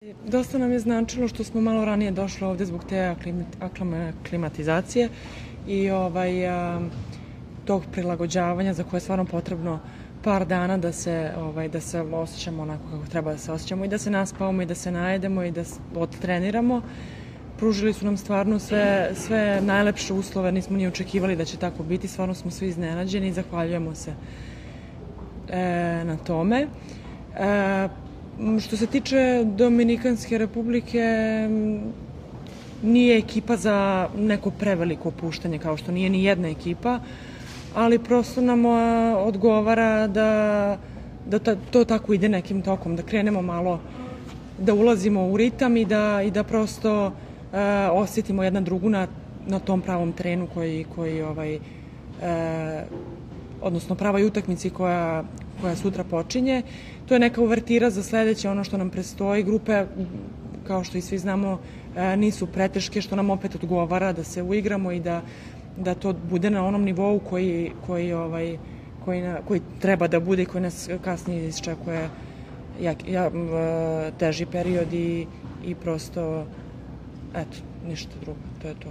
Dosta nam je značilo što smo malo ranije došli ovde zbog te aklimatizacije i tog prilagođavanja za koje je stvarno potrebno par dana da se osjećamo onako kako treba da se osjećamo i da se naspavamo i da se najedemo i da odtreniramo. Pružili su nam stvarno sve najlepše uslove, nismo ni očekivali da će tako biti, stvarno smo svi iznenađeni i zahvaljujemo se na tome. Što se tiče Dominikanske republike, nije ekipa za neko preveliko opuštanje, kao što nije ni jedna ekipa, ali prosto nam odgovara da to tako ide nekim tokom, da krenemo malo, da ulazimo u ritam i da prosto osjetimo jedna drugu na tom pravom terenu odnosno pravoj utakmici koja sutra počinje. To je neka uvertira za sledeće, ono što nam predstoji. Grupe, kao što i svi znamo, nisu preteške, što nam opet odgovara da se uigramo i da to bude na onom nivou koji treba da bude i koji nas kasnije isčekuje teži period i prosto, eto, ništa drugo, to je to.